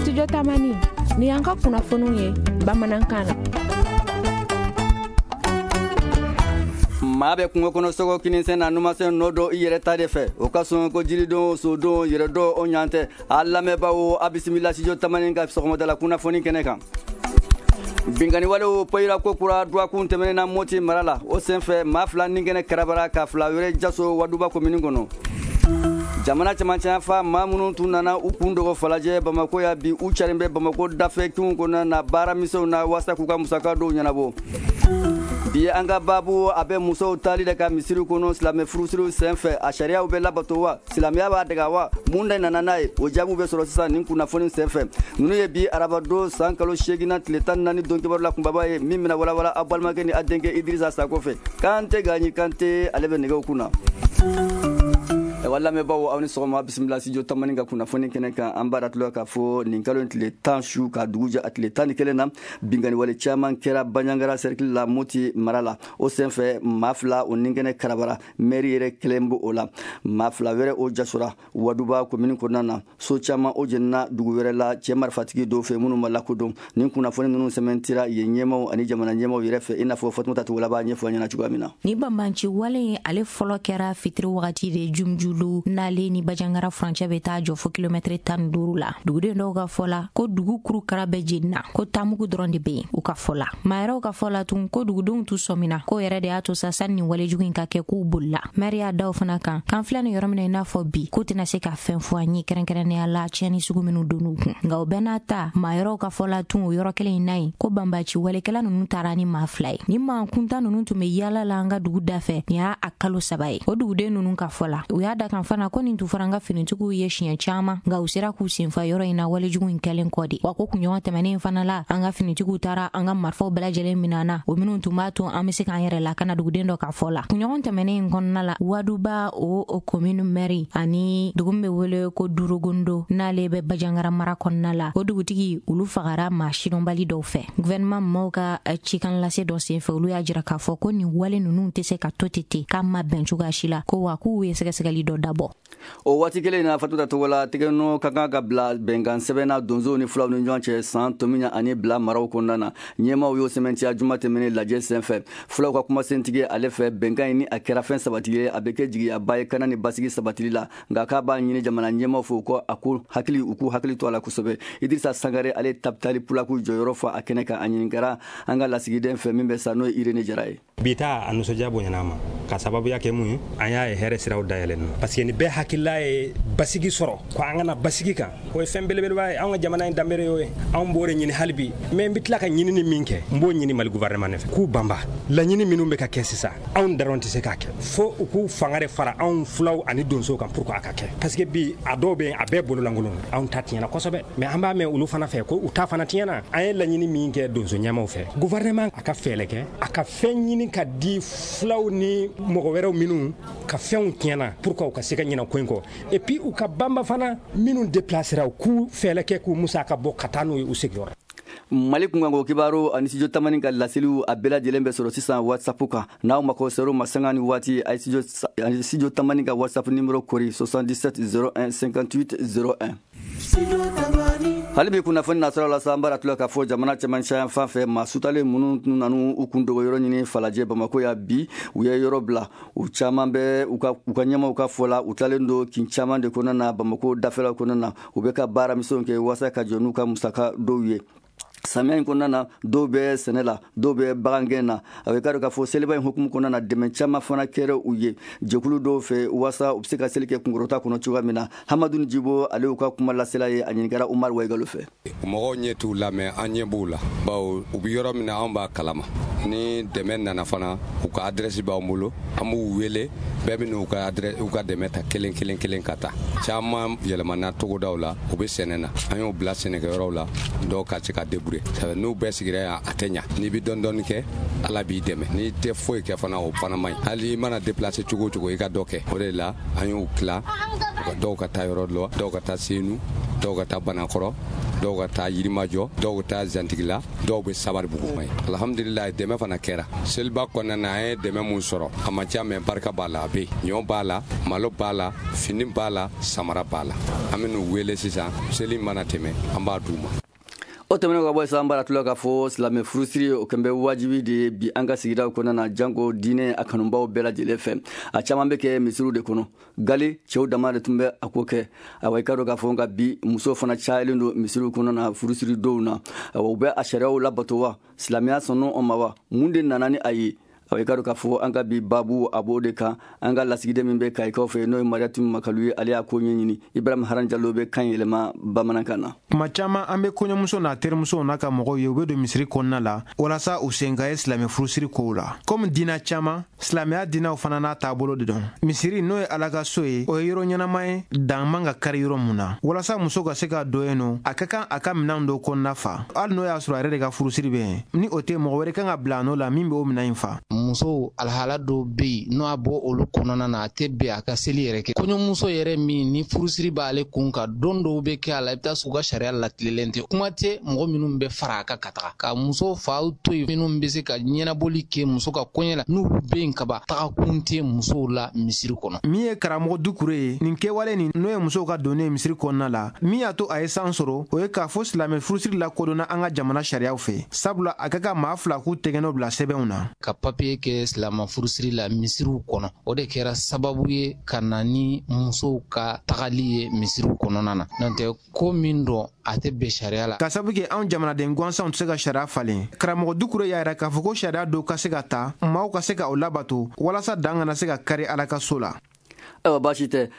Studio Tamani, ni y'an ka kunnafoniw ye bamanankan na. Maa bɛ kungo kɔnɔ sogo kininsen na numansen nɔ don i yɛrɛ ta de fɛ o ka sɔn ko jiridenw sodenw yɛrɛ dɔn o ɲan tɛ. A lamɛnbaaw, a bisimila Studio Tamani ka sɔgɔmadala kunnafoni kɛnɛ kan. Binkanni walew poyira ko kura dɔgɔkun tɛmɛnen na Moti mara la. O senfɛ, maa fila ni kɛnɛ karabara, ka fila wɛrɛ jaso Waduba komini kɔnɔ. Jamana cɛmancɛ fa maa minnu tun nana u kun dogo Falajɛ, Bamako ya, bi u carilen bɛ Bamako dafɛ kinw kɔnɔna na baaramisɛnw na waasa k'u ka musaka dɔw ɲɛnabɔ. Bi an ka baabu a bɛ musow taali de ka misiri kɔnɔ silamɛ furusiriw senfɛ. A sariyaw bɛ labato wa? Silamɛya b'a dɛgɛ wa? Mun de nana n'a ye? O jaabiw bɛ sɔrɔ sisan nin kunnafoni senfɛ. Ninnu ye bi arabadon san kalo 8nan tile 14 don kibaru la kunbaba ye, min bɛna walawala aw balimakɛ ni a denkɛ Idirisa Sako fɛ. Kante Gaɲi Kante, ale bɛ nɛgɛw kunna. Ayiwa lamɛnbaaw, aw ni sɔgɔma, bisimila Studio Tamani ka kunnafoni kɛnɛ kan. An b'a datula k'a fɔ nin kalo in tile 10 su ka dugu jɛ a tile 11 na, binkanni wale caman kɛra Banjagara cercle la, Moti mara la. O senfɛ, maa fila o ni kɛnɛ karabara, maire yɛrɛ kelen b'o o la, maa fila wɛrɛ o jasora Waduba komini kɔnɔna na. So caman o jenina dugu wɛrɛ la cɛ marifatigi dɔw fɛ minnu ma lakodɔn. Nin kunnafoni ninnu sɛmɛntira yen ɲɛmaw ani jamana ɲɛmaw yɛrɛ fɛ, i n'a fɔ Fatumata Togola b'a ɲɛfɔ an ɲɛna cogoya min na. Ni banbanci wale in, ale fɔlɔ kɛra fitiri wagati de Jumjulu, n'ale ni Bajangara furancɛ bɛ taa jɔ fo kilomɛtiri 15 la. Duguden dɔw ka fɔ la ko dugu kurukara bɛɛ jenina, ko tamugu dɔrɔn de bɛ yen u ka fɔ la. Maa yɛrɛw ka fɔ la tun ko dugudenw t'u sɔmina k'o yɛrɛ de y'a to sa sani nin walejugu in ka kɛ, k'u bolila. Mɛri y'a da o fana kan k'an filɛ nin yɔrɔ min na, i n'a fɔ bi, k'u tɛna se ka fɛn fɔ an ye kɛrɛnkɛrɛnnenya la tiɲɛni sugu minnu donn'u kun. Nka o bɛɛ n'a ta, maa yɛrɛw ka fɔ la tun o yɔrɔ kelen in na yen ko banbaci walekɛla ninnu taara ni maa fila ye. Ni maa kuntan ninnu tun bɛ yaala la an ka dugu dafɛ, nin y'a a kalo 3 ye. O duguden ninnu ka fɔ la, u y'a da kan fana ko nin tun fɔra an ka finitigiw ye siɲɛ caman, nka u sera k'u senfa yɔrɔ in na walejugu in kɛlen kɔ de. Wa ko kunɲɔgɔn tɛmɛnen fana la, an ka finitigiw taara an ka marifaw bɛɛ lajɛlen minɛ na, o minnu tun b'a to an bɛ se k'an yɛrɛ lakana, duguden dɔ ka fɔ la. Kunɲɔgɔn tɛmɛnen in kɔnɔna la, Waduba o commune maire ani dugu min bɛ wele ko Durugondo, n'ale bɛ Bajangara mara kɔnɔna la, o dugutigi olu fagara maa sidɔnbali dɔw fɛ. Gouvernement maaw ka cikan lase dɔ senfɛ, olu y'a jira k'a fɔ ko nin wale ninnu tɛ se ka to ten ten, k'a ma bɛn cogoya si la, ko wa k'u ye sɛgɛsɛgɛli dɔ dabɔ. O waati kelen na, Fatuta Togola, tɛgɛnɔ ka kan ka bila bɛnkan sɛbɛn na donsow ni fulaw ni ɲɔgɔn cɛ San, Tomiɲa ani Bila maraw kɔnɔna na. Ɲɛmaaw y'o sɛmɛntiya juma tɛmɛnen lajɛ senfɛ. Fulaw ka kumasentigi ale fɛ, bɛnkan in ni a kɛra fɛn sabati ye, a bɛ kɛ jigiyaba ye kana ni basigi sabatili la. Nka k'a b'a ɲini jamana ɲɛmaaw fɛ, u ko a ko hakili u k'u hakili to a la kosɛbɛ. Idirisa Sangare, ale Tapitali Pulaku jɔyɔrɔ fa a kɛnɛ kan, a ɲininkara an ka lasigiden fɛ min bɛ sa, n'o ye Irene Jara ye. Bi ta a nisɔndiya bonyana ma ka sababuya kɛ mun ye? An y'a ye hɛrɛ siraw dayɛlɛn na, parce que ni bɛɛ hakilila ye basigi sɔrɔ, ko an kana basigi kan, o ye fɛn belebeleba ye. An ka jamana in danbere y'o ye, anw b'o de ɲini hali bi. Mais n bɛ tila ka ɲinini min kɛ, n b'o ɲini Mali gouvernement fɛ k'u banba laɲini minnu bɛ ka kɛ sisan, anw dɔrɔn tɛ se k'a kɛ, fo u k'u fanga de fara anw fulaw ani donsow kan pour que a ka kɛ, parce que bi a dɔw bɛ yen, a bɛɛ bololankolon. Anw ta tiɲɛna kosɛbɛ, mais an b'a mɛn olu fana fɛ ko u ta fana tiɲɛna. An ye laɲini min kɛ donso ɲɛmaw fɛ, gouvernement a ka fɛɛrɛ kɛ, a ka fɛn ɲini ka di fulaw ni mɔgɔ wɛrɛw minnu ka fɛnw tiɲɛna pour que u ka se ka ɲinɛ ko in kɔ. Et puis u ka banba fana minnu déplacera, u k'u fɛɛrɛ kɛ k'u musaka bɔ ka taa n'u ye u sigiyɔrɔ. Mali kunkanko kibaru ani Studio Tamani ka laseliw, a bɛɛ lajɛlen bɛ sɔrɔ sisan WhatsApp kan. N'aw mako ser'o ma sanga ni waati, a ye Studio Tamani ka WhatsApp numéro kori: 77 01 58 01. Hali bi kunnafoni nasɔrɔ la sa, an b'a tula k'a fɔ jamana cɛmancɛ yan fan fɛ, maa sutalen minnu nanu u kun dogo yɔrɔ ɲini Falajɛ, Bamako ya, bi u ye yɔrɔ bila. U caman bɛ u ka ɲɛmaw ka fɔ la, u tilalen don kin caman de kɔnɔna na Bamako dafɛlaw kɔnɔna na. U bɛ ka baaramisɛnw kɛ waasa ka jɔ n'u ka musaka dɔw ye samiya in kɔnɔna na. Dɔw bɛ sɛnɛ la, dɔw bɛ bagangɛn na. A bɛ k'a k'a fɔ seliba in hukumu kɔnɔna na, dɛmɛ caman fana kɛra u ye jɛkulu dɔw fɛ waasa u bɛ se ka seli kɛ kunkɔrɔta kɔnɔ cogoya min na. Hamadu Jibo, ale y'u ka kuma lasela ye, a ɲininkara Umaru Wayigalo fɛ. Mɔgɔw ɲɛ t'u la, mais an ɲɛ b'u la, bawo u bɛ yɔrɔ min na, anw b'a kalama. Ni dɛmɛ nana fana, u ka adresse b'an bolo, an b'u wele, bɛɛ bɛ n'u ka adresse, u ka dɛmɛ ta kelen kelen kelen ka taa. Caman yɛlɛmana togodaw la, u bɛ sɛnɛ na, an y'u bila sɛnɛkɛyɔrɔw la, dɔw ka se ka débrouiller. débrouiller. N'u bɛɛ sigira yan, a tɛ ɲa. N'i bɛ dɔɔni dɔɔni kɛ, Ala b'i dɛmɛ. N'i tɛ foyi kɛ fana, o fana man ɲi. Hali i mana déplacer cogo o cogo, i ka dɔ kɛ. O de la an y'u tila, dɔw ka taa yɔrɔ dɔ, dɔw ka taa Senu, dɔw ka taa Banakɔrɔ, dɔw ka taa Yirimajɔ, dɔw ka taa Zantigila, dɔw bɛ Sabaribugu. Alhamdulilayi, dɛmɛ fana kɛra seliba kɔnɔna na. An ye dɛmɛ mun sɔrɔ, a man ca, mais barika b'a la. A bɛ ɲɔ b'a la, malo b'a la, fini b'a la, samara b'a la. An bɛ n'u wele sisan, seli mana tɛmɛ, an b'a d'u ma. O tɛmɛnen ka bɔ sisan, bara tula k'a fɔ silamɛ furusiri, o kɛn bɛ wajibi de ye bi an ka sigidaw kɔnɔna na, janko diinɛ a kanubaw bɛɛ lajɛlen fɛ. A caman bɛ kɛ misiriw de kɔnɔ. Gale cɛw dama de tun bɛ a ko kɛ. Awa, i ka dɔn k'a fɔ nka bi, musow fana cayalen don misiriw kɔnɔna na furusiri dɔw na. Awa, u bɛ a sariyaw labato wa? Silamɛya sɔnn'o ma wa? Mun de nana ni a ye? Awa, i ka dɔn k'a fɔ an ka bi babu, a b'o de kan. An ka lasigiden min bɛ Kayikaw fɛ, n'o ye Mariatu Makalu ye, ale y'a ko ɲɛɲini. Ibrahim Haran Jalo bɛ kan yɛlɛma bamanankan na. Tuma caman, an bɛ kɔɲɔmuso n'a terimusow n'a ka mɔgɔw ye, u bɛ don misiri kɔnɔna la walasa u sen ka ye silamɛ furusiri kow la. Komi diina caman, silamɛya diinaw fana n'a taabolo de don. Misiri, n'o ye Ala ka so ye, o ye yɔrɔ ɲɛnama ye, dan man ka kari yɔrɔ mun na. Walasa muso ka se ka don yen nɔ, a ka kan a ka minɛnw dɔw kɔnɔna fa, hali n'o y'a sɔrɔ a yɛrɛ de ka furusiri bɛ yen. Ni o tɛ, mɔgɔ wɛrɛ kan ka bila a nɔ la min bɛ o minɛn in fa. Musow alhala dɔw bɛ yen, n'o a bɔ olu kɔnɔna na, a tɛ bɛn a ka seli yɛrɛ kɛ. Kɔɲɔmuso yɛrɛ min ni furusiri b'ale kun kan, don dɔw bɛ kɛ a la, i bɛ taa sɔrɔ u ka sariya latilenlen tɛ. Kuma tɛ mɔgɔ minnu bɛ fara a kan ka taga ka muso faw to yen, minnu bɛ se ka ɲɛnabɔli kɛ muso ka kɔɲɛ la, n'olu bɛ yen kaban, tagakun tɛ musow la misiri kɔnɔ. Min ye karamɔgɔ Dukure ye, nin kɛwale nin, n'o ye musow ka donni ye misiri kɔnɔna la, min y'a to a ye san sɔrɔ, o ye k'a fɔ silamɛ furusiri lakodɔnna an ka jamana sariyaw fɛ, sabula a ka kan maa fila k'u tɛgɛnɔ bila sɛbɛnw na. Ka papiye kɛ silama furusiri la misiriw kɔnɔ, o de kɛra sababu ye ka na ni musow ka tagali ye misiriw kɔnɔna na. N'o tɛ, ko min dɔn, a tɛ bɛn sariya la. Ka sabu kɛ anw jamanaden gansanw tɛ se ka sariya falen, karamɔgɔ Dukure y'a yira k'a fɔ ko sariya dɔw ka se ka ta, maaw ka se ka o labato walasa dan kana se ka kari Ala ka so la. Ayiwa, baasi tɛ.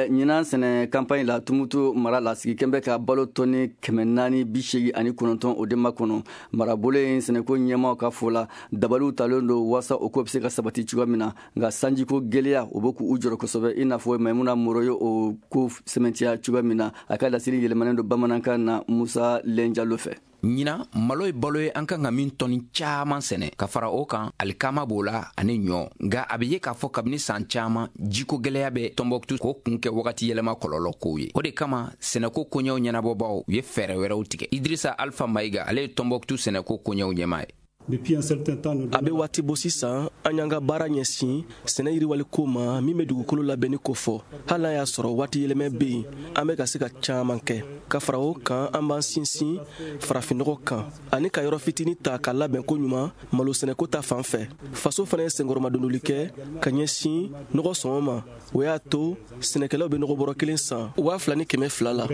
Ɲinan sɛnɛ campagne la, Tumutu mara la, sigi kɛn bɛ ka balo tɔni 489, o de ma kɔnɔ. Marabolo in sɛnɛko ɲɛmaw ka fɔ la, dabaliw talen don waasa o ko bɛ se ka sabati cogoya min na. Nka sanjiko gɛlɛya, o bɛ k'u jɔrɔ kosɛbɛ, i n'a fɔ Maimuna Moro ye o ko sɛmɛntiya cogoya min na. A ka laseli yɛlɛmanen don bamanankan na Musa Lɛnjalo fɛ. Ɲinan, malo ye balo ye an kan ka min tɔni caaman sɛnɛ. Ka fara o kan, alikama b'o la ani ɲɔ. Nka a be ye k'a fɔ kabini saan caaman, jiko gwɛlɛya bɛ Tɔnbɔkutu, k'o kun kɛ wagati yɛlɛma kɔlɔlɔ kow ye. O de kama, sɛnɛko koɲɛw ɲɛnabɔbaw u ye fɛɛrɛ wɛrɛw tigɛ. Idrisa Alfa Mayiga, ale ye Tɔnbɔkutu sɛnɛko koɲɛw ɲɛma ye. A bɛ waati bɔ sisan, an y'an ka baara ɲɛsin sɛnɛ yiriwali ko ma, min bɛ dugukolo labɛnni ko fɔ. Hali n'a y'a sɔrɔ waati yɛlɛmɛ bɛ yen, an bɛ ka se ka caman kɛ. Ka fara o kan, an b'an sinsin farafinnɔgɔ kan ani ka yɔrɔ fitinin ta ka labɛn ko ɲuman malo sɛnɛko ta fan fɛ. Faso fana ye senkɔrɔmadondoli kɛ ka ɲɛsin nɔgɔ sɔngɔ ma. O y'a to sɛnɛkɛlaw bɛ nɔgɔ bɔrɔ kelen san 2200 la.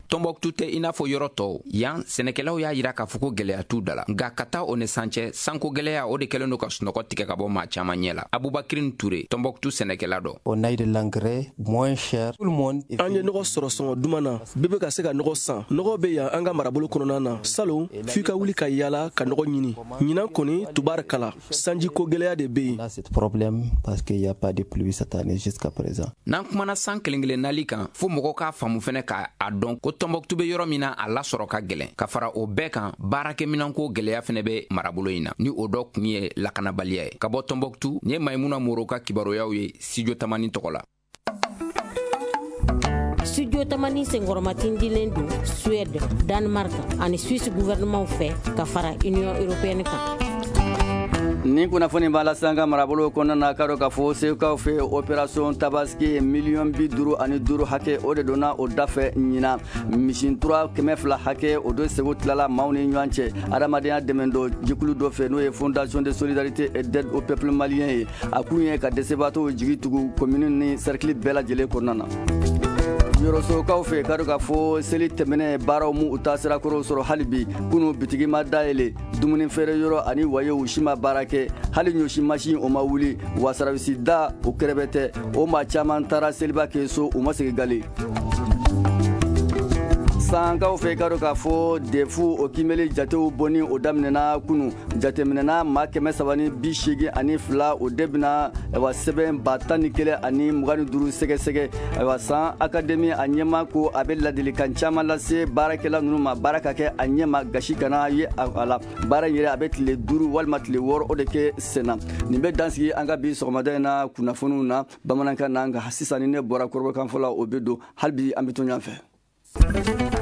Tɔnbɔkutu tɛ i n'a fɔ yɔrɔ tɔw. Yan, sɛnɛkɛlaw y'a yira k'a fɔ ko gɛlɛya t'u da la. Nka ka taa o ni san cɛ, sanko gɛlɛya, o de kɛlen don ka sunɔgɔ tigɛ ka bɔ maa caman ɲɛ la. Abubakirin Ture, Tɔnbɔkutu sɛnɛkɛla dɔ. An ye nɔgɔ sɔrɔ sɔngɔ duman na, bɛɛ bɛ ka se ka nɔgɔ san. Nɔgɔ bɛ yan an ka marabolo kɔnɔna na. Salon, f'i ka wuli ka yaala ka nɔgɔ ɲini. Ɲinan kɔni, tubarikala, sanjiko gɛlɛya de bɛ yen. N'an kumana san kelen kelen nali kan, fo mɔgɔ k'a faamu fɛnɛ k'a dɔn ko Tɔnbɔkutu bɛ yɔrɔ min na, a lasɔrɔ ka gɛlɛn. Ka fara o bɛɛ kan, baarakɛminanko gɛlɛya fɛnɛ bɛ marabolo in na, ni o dɔ kun ye lakanabaliya ye. Ka bɔ Tɔnbɔkutu, nin ye Maimuna Moro ka kibaruyaw ye Studio Tamani tɔgɔ la. Studio Tamani senkɔrɔmatindilen don Suède, Danemark ani Suisse gouvernement fɛ, ka fara Union européenne kan. Ni kunnafoni b'a la sisan, ka marabolo kɔnɔna na, ka dɔn k'a fɔ Segukaw fɛ, opération Tabaski, miliyɔn 55 hakɛ, o de donna o dafɛ ɲinan. Misi tura 200 hakɛ, o don Segu tilala maaw ni ɲɔgɔn cɛ adamadenya dɛmɛ dɔ jɛkulu dɔ fɛ, n'o ye Fondation de solidarité et d'aide au peuple malien ye. A kun ye ka dɛsɛbaatɔw jigi tugu commune ni cercle bɛɛ lajɛlen kɔnɔna na. Yɔrɔsokaw fɛ, ka dɔn k'a fɔ seli tɛmɛnɛ baaraw mu u ta sirakɔrɔw sɔrɔ hali bi. Kunu, bitigi ma dayɛlɛ, dumuni feere yɔrɔ ani wayew si ma baara kɛ, hali ɲɔsi masin, o ma wuli wa. Sarawisi da o kɛrɛbɛ tɛ, o maa caman taara seliba kɛ so, u ma segin gale. Sankaw fɛ, i ka dɔn k'a fɔ DEF o kimɛli jatew bɔni o daminɛna kunu. Jateminɛna maa 382, o de bɛna ayiwa sɛbɛn 11,025 sɛgɛsɛgɛ. Ayiwa, San Académie a ɲɛma ko a bɛ ladilikan caman lase baarakɛla ninnu ma, baara ka kɛ a ɲɛma, gasi kana ye a la. Baara in yɛrɛ, a bɛ tile 5 walima tile 6 o de kɛ senna. Nin bɛ dansigi an ka bi sɔgɔmada in na kunnafoniw na bamanankan na. Nka sisan, ni ne bɔra kɔrɔbɔkan fɔ la, o bɛ don. Hali bi an bɛ to ɲɔgɔn fɛ.